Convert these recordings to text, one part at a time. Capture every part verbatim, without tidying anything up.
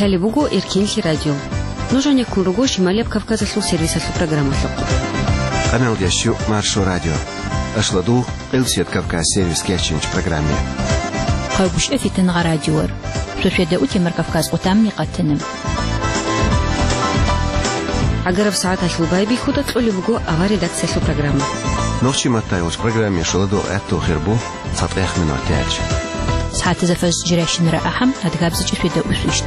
Лъалеб буго Эркинлъи радио. Нуж гьанеккун руго Шималияб Кавказалъул сервисалъул программалъухъ. Къамелдящу Маршо радио. Ашладу, Къилсият Кавказ сервис кечинч программе. Хъавгушев Фитангъа радиор. Шошведа утемар Кавказ къутамни къатана. Агараб сагӀаталъул байбихьуда кьолеб буго авар редакциялъул программа. Нохчи маттайгъуш программе шуладу гӀатту хирбу. ЦатӀех минут яч. СагӀатазда фаз жирайщинара ахӀам, адгабзичӀе феда усвищт.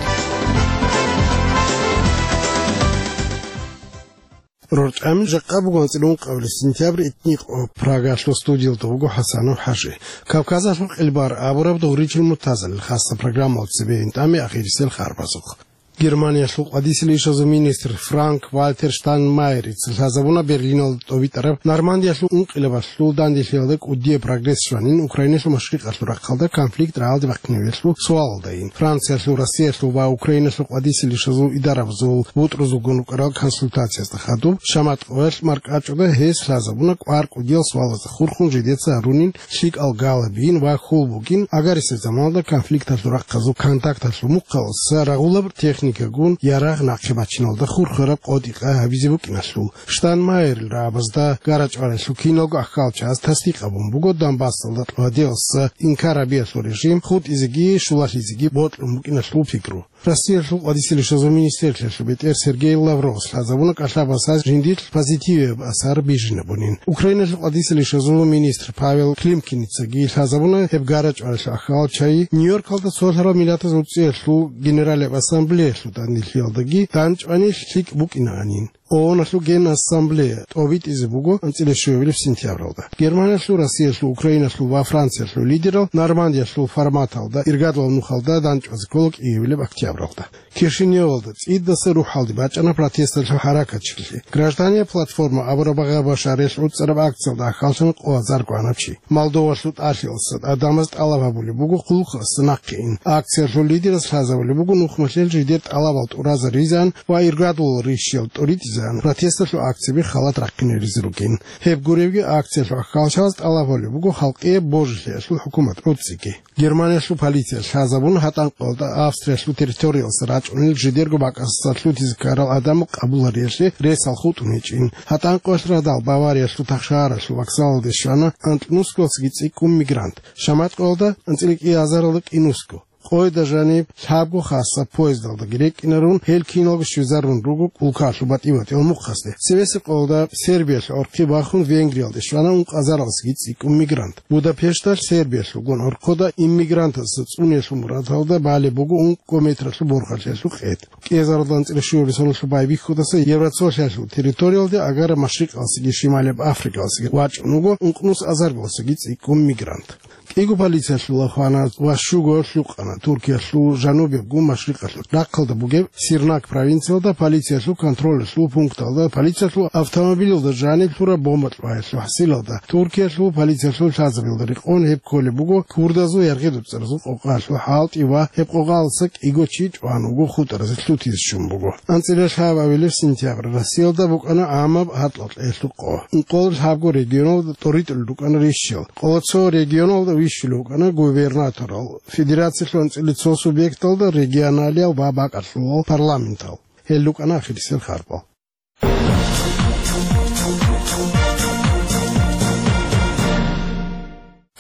РорчӀами жакъа буго анцӀила ункъабилеб сентябрь итникъо. Прагалъул студиялда вуго ХӀасанов ХӀажи. Кавказалъул къилбар абураб дугъричил мутазалил хасса программал цебе интӀаме ахирисел харбазухъ. Германиялъул къвадисел ишазул министр Франк-Вальтер Штайнмайерица лъазабуна Берлиналда тӀобитӀараб Нормандиялъул ункъилабалъул данделъиялда кӀудияб прогресс щванин Украиналъул машрикъалъул рахъалда конфликт рагӀалде бахъинавиялъул суалалдайин. Франциялъул, Россиялъул ва Украиналъул къвадисел ишазул идарабазул бутӀрузулгун рукӀарал консультациязда хадуб, шамат къоялъ маркӀачӀуда гьес лъазабуна кӀвар кӀудиял суалазда хурхун жидеца гьарунин лъикӀал галабин ва хьул бугин, агарисеб заманалда конфликталъул рахъазул контакталъул мухъаласа рагъулаб техникагун ярагъ нахъе бачиналда хурхараб къотӀи-къай гьабизе букӀиналъул. Штайнмайерил рагӀабазда гарачӀваралъул киналго ахьалчагӀаз тасдикъ гьабун буго Донбассалда кьвадиялса инкар гьабиялъул режим хутӀизеги щулалъизеги бокьун букӀиналъул пикру. Россиялъул къвадисел ишазул министрлъиялъул бетӀер Сергей Лавровас лъазабуна кӀалъабасаз жиндилъ позитивияб асар бижинабунин. Украиналъул къвадисел ишазул министр Павел Климкиницаги лъазабуна гьеб гарачӀваралъул ахьалчагӀи Нью-Йоркалда цолъарал миллатаз уцӀиялъул Генералияб ассамблеялъул данделъиялдаги данчӀвани лъикӀ букӀинаанин. ООНалъул Генассамблея тӀобитӀизе буго анцӀила щуабилеб сентябралда. Германиялъул, Россиялъул, Украиналъул ва Франциялъул лидерал Нормандиялъул форматалда иргадулаб нухалда данчӀвазе ккола кӀиабилеб октябралда. Кишиневалда цӀидаса рухӀалде бачӀана протесталъул хӀаракатчилъи. Гражданная платформа абураб багъа-башаралъ гӀуцӀараб акциялда ахьаллъана къо азар гванаб чи. Молдовалъул тӀалъиялъа адамаз тӀалаб гьабулеб буго хъулухъасе нахъе ин. Акциялъул лидерас лъазабулеб буго нухмалъел жидер тӀалабал тӀуразаризан ва иргадулал рищиял тӀуритӀизан протесталъул акцияби халат рахъинеризе ругин. Гьеб гуребги, акциялъул ахьалчагӀаз тӀалаб гьабулеб буго халкъияб божилъиялъул хӀукумат гӀуцӀиги. Германиялъул полиция лъазабун гьатӀанкъоялда Австриялъул территориялса рачӀунел жидерго бакӀасдаса лъутизе ккарал гӀадамал къабулариялъе ресал хутӀун гьечӀин. ГьатӀанкъоялъ радал Бавариялъул тахшагьаралъул вокзалалде щвана анкьнусгоялдасаги цӀикӀкӀун мигрант. Шаматкъоялда анцӀила кӀиазаралда кӀинусго. Къойда жаниб лъабго хасаб поездалдаги рекӀкӀинарун, гьел киналго щвезарун руго улкалъул батӀи-батӀиял мухъасде. Цевесеб къоялда Сербиялъ гӀорхъи бахун Венгриялде щвана ункъазаралдасаги цӀикӀкӀун мигрант. Будапешталъ Сербиялъулгун гӀорхъода иммигрантазда цӀуниялъул мурадалда балеб буго ункъго метралъул борхалъиялъул къед. КӀиазаралда анцӀила щуабилеб соналъул байбихьудаса Евроцолъиялъул территориялде агараб Машрикъалдасаги Шималияб Африкалдасаги вачӀун вуго ункънус азаргоялдасаги цӀикӀкӀун мигрант. КӀиго полициялъул хвана ва щуго лъукъана Туркиялъул жанубиябго машрикъалъул рахъалда бугеб Сирнак провинциялда полициялъул контролалъул пункталда полициялъул автомобилалда жаниб лъураб бомба кьваялъул хӀасилалда. Туркиялъул полициялъул лъазабилда рекъон гьеб кколеб буго курдазул яргъи-дуцӀаразул къокъаялъул хӀалтӀи ва гьеб къокъаялдаса кӀиго чи чӀван вуго, хутӀаразе лъутизе чӀун буго. АнцӀила лъабабилеб сентябрь Россиялда букӀана гӀамаб гьатӀлъаб кьеялъул къо. Ункъоялда лъабго регионалда тӀоритӀулел рукӀана рищал. Къоло цо регионалда вищулев вукӀана губернаторал, федерациялъул анцӀила цо субъекталда регионалиял ва бакӀалъулал парламентал. Гьел рукӀана ахирисел харбал.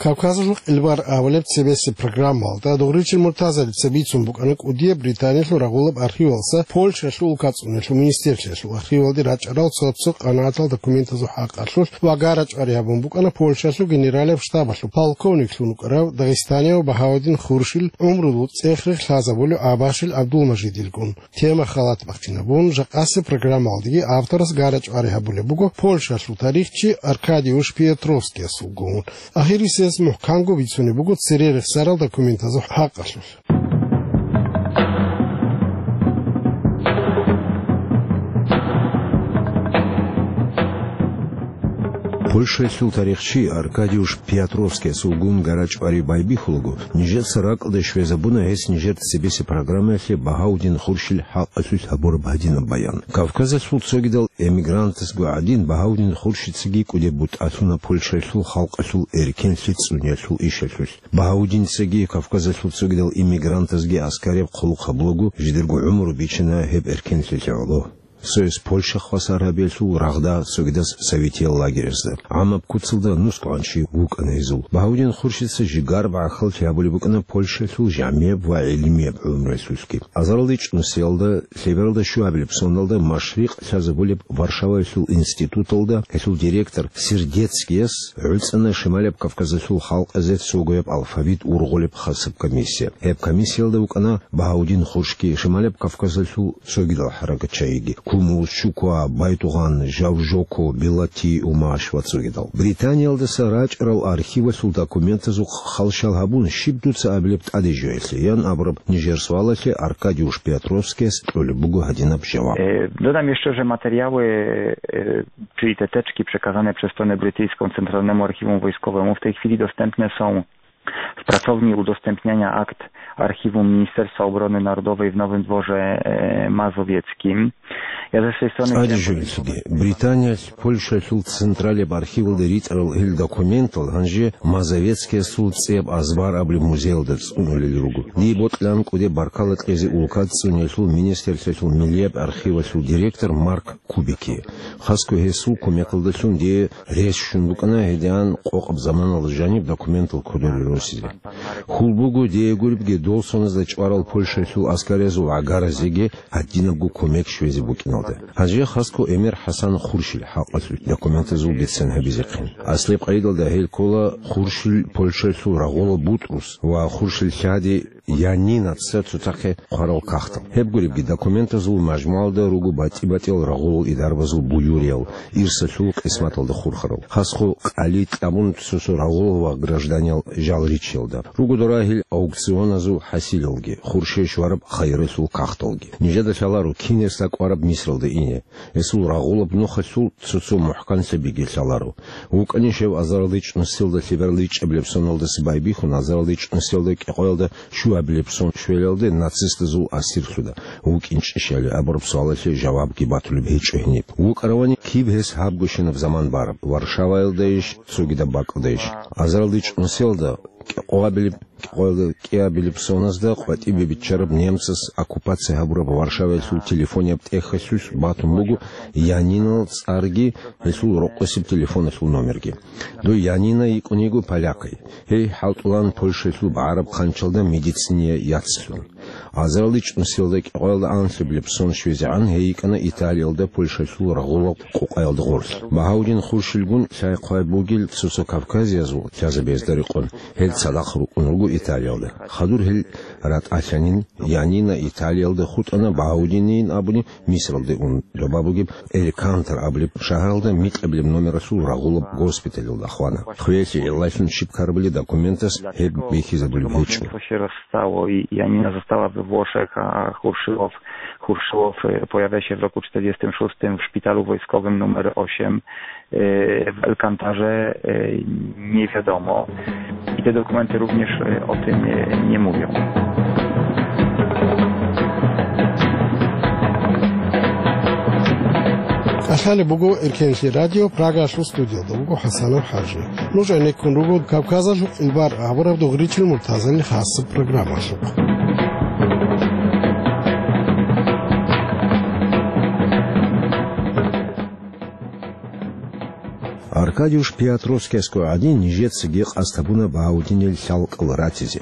Кавказалъул къилбар абулеб цебесеб программалда дугъричил муртазалица бицун букӀана кӀудияб Британиялъул рагъулаб архивалдаса Польшаялъул улкацӀуналъул министрлъиялъул архивалде рачӀарал цо-цо къанагӀатал документазул хӀакъалъулъ ва гарачӀвари гьабун букӀана Польшаялъул генералияб штабалъул полковниклъун вукӀарав дагъистанияв Багьавудин Хуршил гӀумру цӀех-рех лъазабулев Абашил ГӀабдулмажидилгун. Тема халат бахъинабун, жакъасеб программалдеги авторас гарачӀвари гьабулеб буго Польшалъул тарихчи Аркадиуш Пиотровскиясулгун. Ахирисез мухӀканго бицунеб буго цере рехсарал документазул хӀакъалъулъ. Польшаялъул тарихчи Аркадиуш Пиатровскиясул гун гара-чӀвари байбихьулаго, нижеца ракӀалде щвезабуна гьес нижер цебесеб программаялъе Багьаудин Хуршил хӀакъалъулъ гьабураб гьадинаб баян. Кавказалъул цогидал эмигрантазго гӀадин, Багьаудин Хуршицаги кӀудеб бутӀа лъуна Польшаялъул халкъалъул эркенлъи цӀуниялъул ишалъулъ. Багьаудинцаги Кавказалъул цогидал иммигрантазги аскараб хъулухъ гьабулаго, жидерго гӀумру бичана гьеб эркенлъиялъе гӀоло. Цояс Польша хвасар гьабиялъул рагъда, цогидас советиял лагерязда. ГӀамаб куцалда нусгӀанчи вукӀана гьезул. Багьаудин Хуршица жигар бахъалъи гьабулеб букӀана Польшаялъул жамияб ва гӀилмияб гӀумруялъулъги. Азаралда чӀунусиялда, лъебералда щуабилеб соналда машрикъ лъазабулеб Варшаваялъул институталда гьелъул директор Сердецкияс гӀуцӀана Шималаб Кавказалъул халкъазе цогояб алфавит ургъулеб хасаб комиссия. Гьеб комиссиялда вукӀана Багьаудин Хуршги, Шималаб Кавказалъул цогидал хӀаракатчагьиги: Кумус, Чуква, Байтугъан, Жавжоко, Белати, Умаш ва цогидал. Британиялдаса рачӀарал архивалъул документазул халщал гьабун, щиб дуца абилеб тӀаде жоялъе? ян абураб нижер суалалъе Аркадиуш Пиатровскияс кьолеб буго гьадинаб жаваб. Е, додам ещё, же материалы, е, е, чиї течки, преказане през тоне бритийскому централному архиву войсковому, в тей хвили достемпне сом в працовни удостемпняня акт архиву Министерства обороны народовой в Новым дворе, е, Мазовецким. Я за сей соне... ЦӀаде жоялъеги, Британиялъ Польшаялъул централияб архивалда ритӀарал гьел документал гьанже Мазовецкиясул цӀияб азбар абулеб музеялда цӀунулел руго. Дие бокьилаан кӀудеб баркала кьезе улкаца цӀуниялъул министрлъиялъул миллияб архивалъул директор Марк Кубикие. Хасго гьесул кумекалдалъун дие рес щун букӀана гьедигӀан къокъаб заманалда жаниб документал кодоре росизе. Хьул буго дие гуребги дол соназда чӀварал Польшаялъул аскариязул гӀагаразеги гьадинабго кумек щвезе букӀиналда. Гьанже хасго Эмир ХӀасан Хуршил хӀакъалъулъ документазул бицен гьабизехъин. Аслияб къайдалда гьел ккола Хуршил Польшаялъул рагъула Бутрус ва Хуршил лъади Янинаца цоцахъе хъварал кагътал. Гьеб гуребги документазул мажмуалда руго батӀи-батӀиял рагъулал идарбазул буюриял, ирсалъул къисматалда хурхарал. Хасго къали кьабун цо-цо рагъулал ва гражданиял жал риччалда. Руго дора гьел аукционазул хӀасилалги, хурше щвараб хайралъул кагъталги. Нижеда лъаларо кинес акӀвараб Мисралда ине. Гьесул рагъулаб нухалъул цо-цо мухӀканлъабиги лъаларо. ВукӀанищ гьев азаралда чӀунусиялда лъебералда ичӀабилеб соналдаса байбихьун, азаралда чӀунусиялда кӀикъоялда щуабилеб сон щвелалде нацистазул асирлъуда вукӀинчӀищали абураб суалалъе жавабги батулеб гьечӀо гьениб. ВукӀаравани киб гьес гьабгощинаб заман бараб, Варшаваялдайищ, цогидаб бакӀалдайищ? Азаралда чӀунусиялда кӀикъоабилеб кӀикъоялда кӀиабилеб соназда къватӀибе биччараб немцас оккупация гьабураб Варшаваялъул телефонияб тӀехьалъулъ батун буго Янинал цӀарги гьелъул рокъосеб телефоналъул номерги. Дой Янина йикӀун йиго полякай. Гьей хӀалтӀулаан Польшаялъул багӀараб хъанчалда медицинияй яцлъун. Азаралда чӀунусиялда кӀикъоялда анлъабилеб сон щвезегӀан гьей йикӀана Италиялда Польшаялъул рагъулаб къукъаялда гъорлъ. Багьаудин Хуршилгун лъай-хъвай бугел цо-цо кавказиязул лъазабиязда рекъон, гьел цадахъ рукӀун руго Италиялда. Хадур гьел ратӀалъанин, Янина Италиялда хутӀана, Багьаудинин абуни Мисралде ун, доба бугеб Элькантар абулеб шагьаралда микьабилеб номералъул рагъулаб госпиталалда хвана. Хвелъи гӀиллалъун щиб ккарабали документас гьеб бихьизабулеб гьечӀо. Стало, и, и Янина застала в Ошах, а Хуршилов, Хуршилов, э, появляется в roku czterdziestym szóstym w szpitalu wojskowym numer osiem, e, w Elkantarze, e, nie wiadomo. I te dokumenty również, e, o tym, e, nie mówią. Кьалъалеб буго Эркенлъи радио, Прагалъул студиялда вуго ХӀасанов ХӀажи. Нуж гӀенеккун руго Кавказалъул къилбар абураб дугъричил Муртазалил хасаб программалъухъ. Аркадиуш Пиатровскиясго гӀадин, нижецаги къасд гьабуна Багьаудинил лъалкӀал ратизе.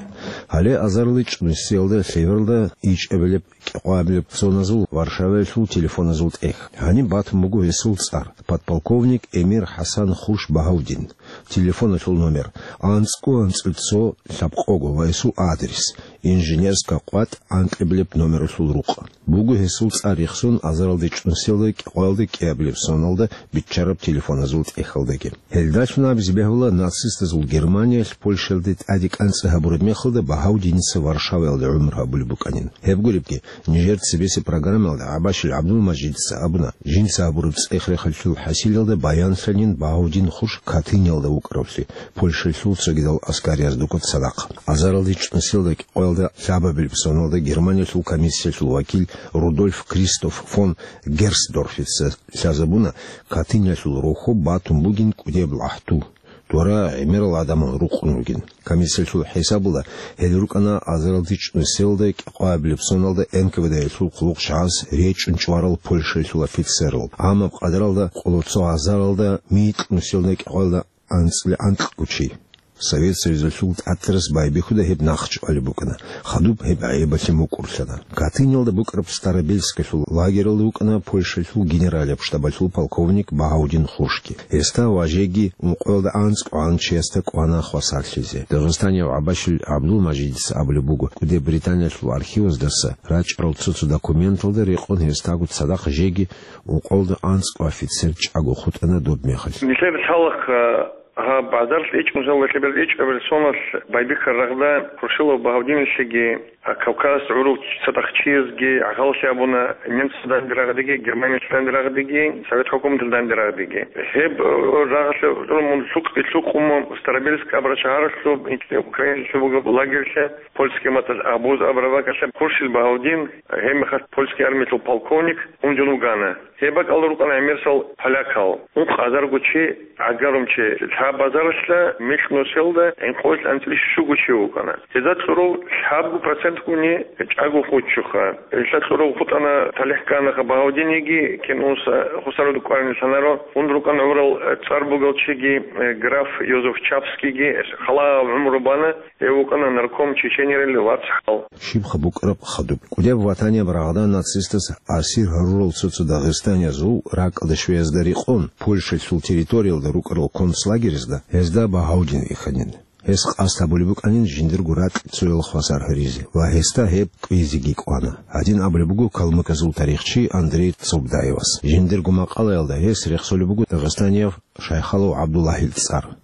Гьале азарилчӀунусиялда лъебералда ичӀабилеб кӀикъоабилеб соназул Варшаваялъул телефоназул тӀехь. Гьаниб батун буго гьесул цӀар, подполковник Эмир ХӀасан Хурш Багьаудин. Телефоналъул номер: анцӀго анцӀил цо лъабкъого ва гьесул адрес: инженерская къватӀ анкьабилеб номералъул рукъ. Буго гьесул цӀар рехсон азаралда чӀунусиялда кӀикъоялда кӀиабилеб соналда биччараб телефоназул тӀехьалдаги. Гьелдалъун абизе бегьула нацистазул Германиялъ Польшаялде тӀаде кӀанцӀи гьабураб мехалда Багьавдиница Варшаваялда гӀумру гьабулеб букӀанин. Гьеб гуребги, нижер цебесеб программаялда ГӀабашил ГӀабдулмажидица абуна, жинца гьабураб цӀех-рехалъул хӀасилалда баянлъанин Багьавдин хурш Катыниялда вукӀаравлъи, Польшалъул цогидал аскариязда цадахъ. Азаралда чӀунусиялда кӀикъоялда лъабабилеб соналда Германиялъул комиссиялъул вакил Рудольф Кристоф фон Герсдорфица лъазабуна, Катыниялъул рохьоб батун бугин кӀудияб лахӀту, дора гӀемерал гӀадамал рукъун ругин. Комиссиялъул хӀисабалда, гьел рукӀана азаралда чӀунусиялда кӀикъоябилеб соналда НКВД-ялъул хъулухъ жагьаз речӀчӀун чӀварал Польшаялъул офицерал, амма къадаралда къоло цо азаралда микьнусиялда кӀикъоялда анцӀила анкьго чи. Совет Союзалъул тӀатарас байбихьуда гьеб нахъчӀвалеб букӀана, хадуб гьеб гӀайибалъе мукӀурлъана. Катыниялда букӀараб Старобельскалъул лагералда вукӀана Польшалъул генералияб штабалъул полковник Багьавдин хуршги. Гьесда ва жеги ункъоялда анцӀго гӀан чиясда кӀвана хвасарлъизе. Дагъистанияв ГӀабашил ГӀабдулмажидица абулеб буго, кӀуде Британиялъул архиваздаса рачӀарал цо-цо документалда рекъон гьесдаго цадахъ жеги ункъоялда анцӀго офицер чӀаго хутӀана доб мехалъ. Нилъер лъалахъ, а, гьаб азаралда чӀунусиялда лъабабилеб соналъ байбихьараб рагъда Хуршилов Багьавдиналъеги, а, Кавказ гӀурул цадахъ чиясги гӀахьаллъи абуна немцазда данде рагъдеги, Германиялъ данде рагъдеги, Совет хӀукуматалда данде рагъдеги. Гьеб, э, рагъалъе гӀурун мун лъукъ-, лъукъун мун Старобельск абураб шагьаралъуб, Украиналъуб бугеб лагерьлъа, польский маталъ Абуз абураб бакӀалъа Хуршил Багьавдин, гьеб мехалъ польский армиялъул полковник, унжун вугана. Гьеб бакӀалда рукӀана гӀемерисел полякал. Ункъ азарго чи, гӀагарумчи, лъабазаралъа микьнусиялда гӀинкъоялъ анцӀила щуго чи вукӀана. Гьезда кьурав лъабго процентгуни чӀаго хутӀчӀуха. Гьелъа кьурав хутӀана, талихӀ кканаха Багьавдинеги, кин унса хусаруда кӀварин лъанаро, ун рукӀана гӀурал цӀар бугел чиги, э, граф Йозеф Чапскийги, халаяб гӀумру бана. Гьев вукӀана нарком Чеченерил вацгӀал. Щибха букӀараб хадуб. КӀудияб ватанияб рагъда нацистаз асир гьарурал цо-цо дагъистаниязул ракӀалда щвеязда рекъон, Польшалъул территориялда рукӀарал концлагерезда гьезда Багьавдин вихьанин. Гьес къасд гьабулеб букӀанин жиндирго ракь цоял хвасар гьаризе ва гьесда гьеб кӀвезеги кӀвана. Гьадин абулеб буго калмыказул тарихчи Андрей Цобдаевас. Жиндирго макъалаялда гьес рехсолеб буго дагъистанияв Шайхалов ГӀабдуллагьил цӀар.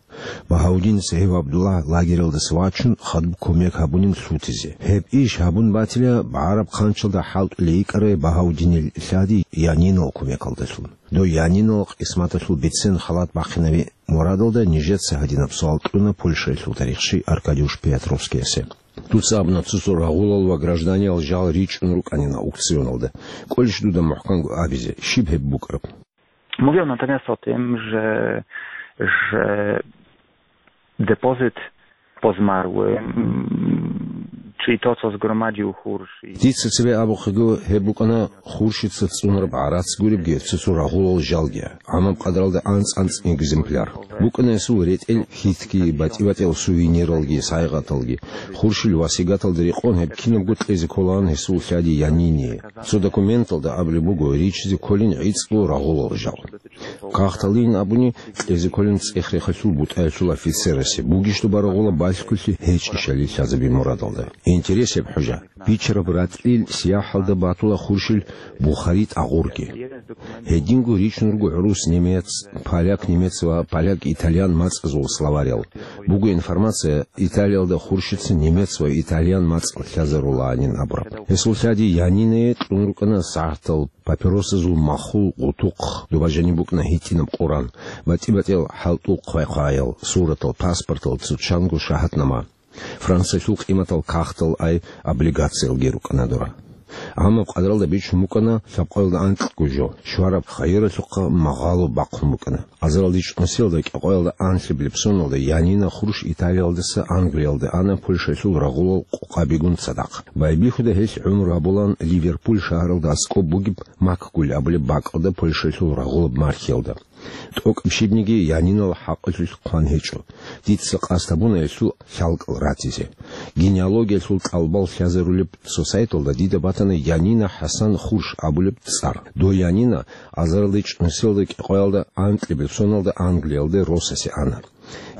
Багьавдин цӀегьев ГӀабдуллагь лагералдаса вачун, хадуб кумек гьабунин лъутизе. Гьеб иш гьабун батила, БгӀараб хъанчалда хӀалтӀулей йикӀарай Багьавдинил лъади Янинал кумекалдалъун. Дой Янинал къисматалъул бицен халат бахъинави мурадалда нижеца гьадинаб суал кьуна Польшаялъул тарихчи Аркадиуш Пиятровскиясе. Дуца абуна цо-цо рагъулал ва гражданиял жал ричӀчӀун рукӀанин аукционалда. КӀолищ дуда мухӀканго абизе, щиб гьеб букӀараб? Mówią natomiast o tym, że, że depozyt po zmarłym, czyli to, co zgromadził Hursz i Дица цебе абухъего, гьеб букӀана Хуршица цӀунараб гӀарац гуребги, цо-цо рагъулал жалги, гӀамаб къадаралда анцӀ-анцӀ экземпляр. БукӀана гьесул ретӀел хьитги, батӀи-батӀиял сувениралги, сайгъаталги. Хуршил васигаталда рекъон гьеб кинабго кьезе кколаан гьесул лъади Янине. Цо документалда абулеб буго, ричизе кколин гӀицӀго рагъулал жал. Кагъталин абуни, кьезе кколин цӀех-рехалъул бутӀаялъул офицерасе, бугищ доба рагъула балъголъи гьечӀищали лъазабин мурадалда. Интерес гьеб хӀужа. Бичараб ратӀлил сияхӀалда батула Хуршил Бухари тӀагъурги. Гьединго ричун руго гӀурус-немец, поляк-немец ва поляк-итальян мацӀазул словарял. Буго информация, Италиялда Хуршица немец ва итальян мацӀ лъазарулаанин абураб. Гьесул лъади Янинае кьун рукӀана сагӀатал, папиросазул махул гъутухъ, доба жаниб букӀана гьитӀинаб Къуран, батӀи-батӀиял хӀалтӀул хъвай-хъваял, суратал, паспортал, цо чанго шагьатнама. Франциялъул къиматал кагътал ай облигациялги рукӀана дора. Амма къадралда бичун букӀана лъабкъоялда анкьго жо, щвараб хайиралъухъа магъало бахъун букӀана. Азаралда чӀунусиялда кӀикъоялда анлъабилеб соналда Янина Хурш Италиялдаса Англиялда ана Польшалъул рагъулал къокъабигун цадахъ. Байбихьуда гьелъ гӀумру гьабулаан Ливерпуль шагьаралда аскӀоб бугеб Макгуль абулеб бакӀалда Польшалъул рагъулаб мархиялда. ТӀокӀаб щибниги Янинал хӀакъалъулъ хъван гьечӀо. Дица къасд гьабуна гьелъул лъалкӀал ратизе. Генеалогиялъул тӀалабал лъазарулеб цо сайталда дида батана Янина ХӀасан Хурш абулеб цӀар. Дой Янина азаралда чӀунусиялда кӀикъоялда анкьабилеб соналда Англиялда росасе ана.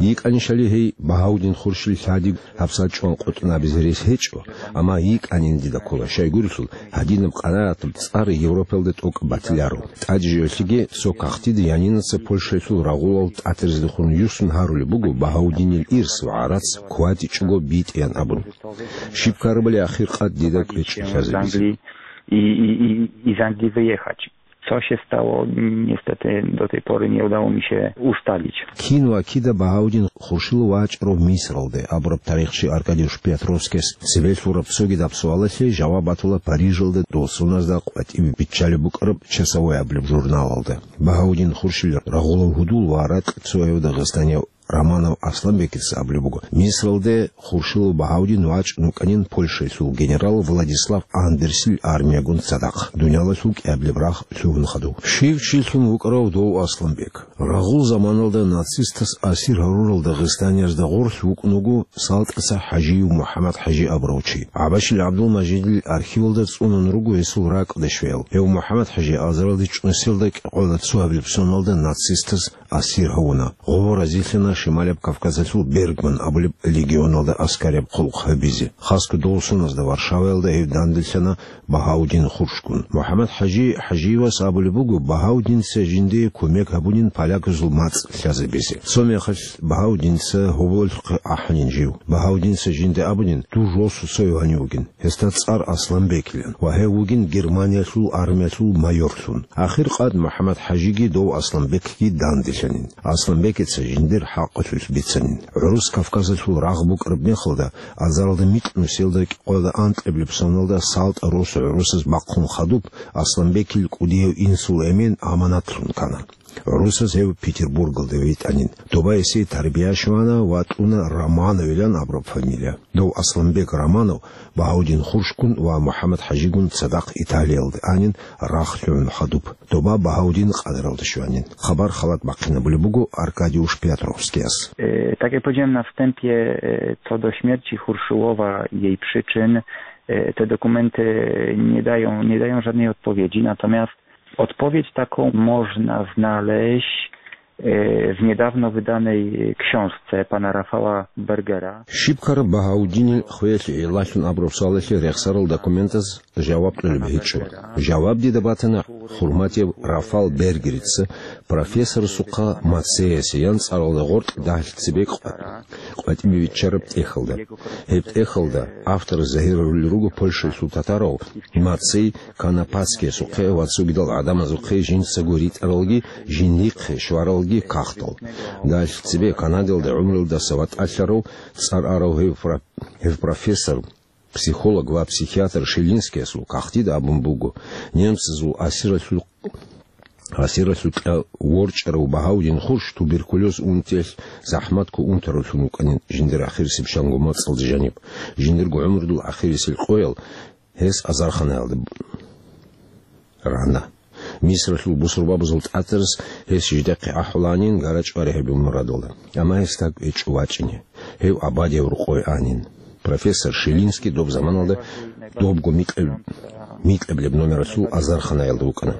ЙикӀанищали гьей Багьаудин Хуршил лъади гьабсагӀат чӀван къотӀун абизе рес гьечӀо, амма йикӀанин дида ккола, щайгурелъул гьадинаб къанагӀатаб цӀар Европалда тӀокӀаб батиларо. ТӀаде жо-, гьелъиги цо кагътида Янинаца Польшаялъул рагъулал тӀатарзехун юсун гьарулеб буго Багьаудинил ирс ва гӀарац ккватичӀого битӀеян абун. Щиб ккарабали ахир къад дида кӀвечӀеб лъазабизе. Из Англии, и, и, и, из Англии выехать. Co się stało, niestety do tej pory nie udało mi się ustalić. Кин ва кида Багьаудин Хуршилов вачӀарав Мисралде абураб тарихчи Аркадий Шпиятровскияс цебе лъураб цогидаб суалалъе жаваб батула Парижалда дов соназда къватӀибе биччалеб букӀараб «Часовой» абулеб журналалда. Багьаудин Хуршил рагъулав гьудул ва ракь цояв дагъистанияв Романов Асланбекица абулеб буго, Мисралде Хуршилов Багьаудин вачӀун вукӀанин Польшаялъул генерал Владислав Андерсил армиягун цадахъ, дуниялалъул кӀиабилеб рагъ лъугьун хадув. Щив чилъун вукӀарав дов Асланбек? Рагъул заманалда нацистас асир гьарурал дагъистаниязда гъорлъ вукӀун вуго СалтӀаца ХӀажиев МухӀаммад-ХӀажи абурав чи. ГӀабашил ГӀабдулмажидил архивалда цӀунун руго гьесул ракӀалде щвеял. Гьев МухӀаммад-ХӀажи азаралде чӀунусиялда кӀикъоялда цоабилеб соналда нацистас асир гьавуна. Гъов разилъана Шималияб Кавказалъул Бергман абулеб легионалда аскарияб хъулухъ гьабизе. Хасго дов соназда Варшаваялда гьев данделъана Багьаудин Хуршгун. МухӀаммад-ХӀажи ХӀажиевас абулеб буго Багьаудинца жиндие кумек гьабунин поляказул мацӀ лъазабизе. Цо мехалъ Багьаудинца гьоболлъухъе ахӀанин жив. Багьаудинца жинда абунин, дур росу цояв гьанив вугин. Гьесда цӀар Асланбекилан ва гьев вугин Германиялъул армиялъул майорлъун. Ахир къад МухӀаммад-ХӀажиги дов Асланбекги данделъанин. Асланбекица жиндир хӀакъалъулъ бицанин. ГӀурус Кавказалъул рагъ букӀараб мехалда, азаралда микьнусиялда кӀикъоялда анкьабилеб соналда СалтӀа росу гӀурусаз бахъун хадуб, Асланбекил кӀудияв инсул эмен аманатлъун ккана. ГӀурусаз гьев Петербургалде витӀанин. Доба гьесие тарбия щвана ва кьуна Романовилан абураб фамилия. Дов Асланбек Романов Багьаудин Хуршгун ва МухӀаммад-ХӀажигун цадахъ Италиялде анин рагъ лъугӀун хадуб. Доба Багьаудин къадаралда щванин. Хабар халат бахъинабулеб буго Аркадий Шпиятровскияс. E, tak jak powiedziałem na wstępie, e, co do śmierci Hurszyłowa i jej przyczyn, e, te dokumenty nie dają, nie dają żadnej odpowiedzi, natomiast Odpowiedź taką można znaleźć, e, w niedawno wydanej książce pana Rafała Bergera. Щиб ккараб Багьаудинил хвеялъе гӀиллалъун абураб суалалъе рехсарал документаз жаваб кьолеб гьечӀо. Жаваб дида батана хӀурматияв Рафал Бергерица, профессорасухъа Мацеясе ян цӀаралда гъоркь дагьлъи цебе къватӀибе биччараб тӀехьалда. Гьеб тӀехьалда авторас загьирарулел руго Польшаялъул татарав Мацей Канапацкиясухъе ва цогидал гӀадамазухъе жинцаго ритӀаралги, жиндихъе щваралги кагътал. Дагьлъи цебе Канадалда гӀумруялдаса ватӀалъарав, цӀар арав гьев пра-, гьев профессор, психолог ва психиатр Шилинскиясул кагътида абун буго, немцазул асиралъул, асиралъул кьа ворчӀарав Багьаудин Хурш туберкулез унтиялъ захӀматго унтаруллъун вукӀанин жиндир ахирисеб шанго мацӀалда жаниб, жиндирго гӀумрудул ахирисел къоял гьес азарханаялда рана. Мисралъул бусурбабазул тӀатарас гьес жидехъе ахӀуланин гарачӀвари гьабизе мурадалда. Амма гьес тӀад гьечӀо вачӀине. Гьев абадияб рокъове анин. Профессор Шилинский доб заманалда добго микьаб-, микьабилеб номералъул азарханаялда вукӀана.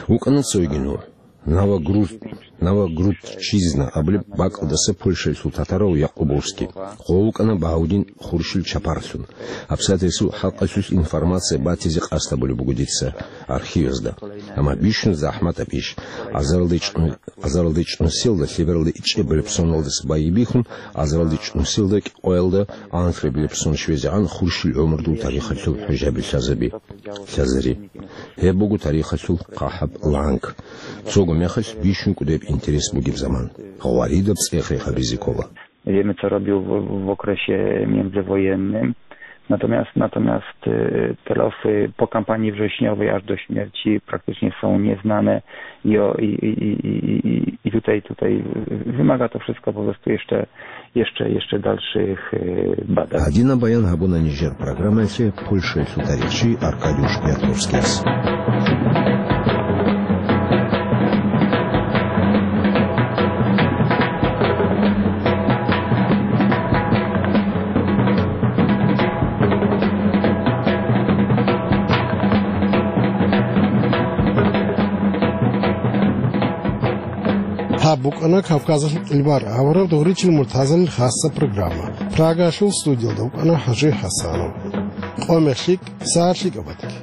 ВукӀана цойги нугӀ. Новогруз-, Новогрудчизна абулеб бакӀалдаса Польшаялъул татарав Якъубовский. Гъов вукӀана Багьаудин Хуршил чапаралъун. ГьабсагӀат гьесул хӀакъалъулъ информация батизе къасд гьабулеб буго дица архивазда. Амма бищун захӀматаб иш. Азаралда ичӀну-, азаралда ичӀнусиялда лъебералда ичӀебилеб соналдаса байбихьун, азаралда ичӀнусиялда кӀикъоялда анлъабилеб сон щвезегӀан Хуршил гӀумрудул тарихалъул хӀужаби лъазаби-, лъазари. Гьеб буго тарихалъул хъахӀаб ланг. Цого мехалъ бищун кӀудеб интерес бугеб заман. Гъваридаб цӀех рехабизе ккола. Wiemy, co robił w, w okresie międzywojennym. Natomiast, natomiast, e, te losy po kampanii wrześniowej aż do śmierci praktycznie są nieznane i, o, i, i tutaj, tutaj wymaga to wszystko po prostu jeszcze, jeszcze, jeszcze dalszych, e, badań. Гьадинаб баян гьабуна нижер программаялъе Польшаялъул тарихчи Аркадий Шпиятровскияс. Гьаб букӀана Кавказалъул кьилбар авараг Дугъричил Муртазалил хасса программа. Прагаялъул студиялда вукӀана ХӀажи ХӀасанов. Къоме лъикӀ, сагӀат лъикӀаб батилъ.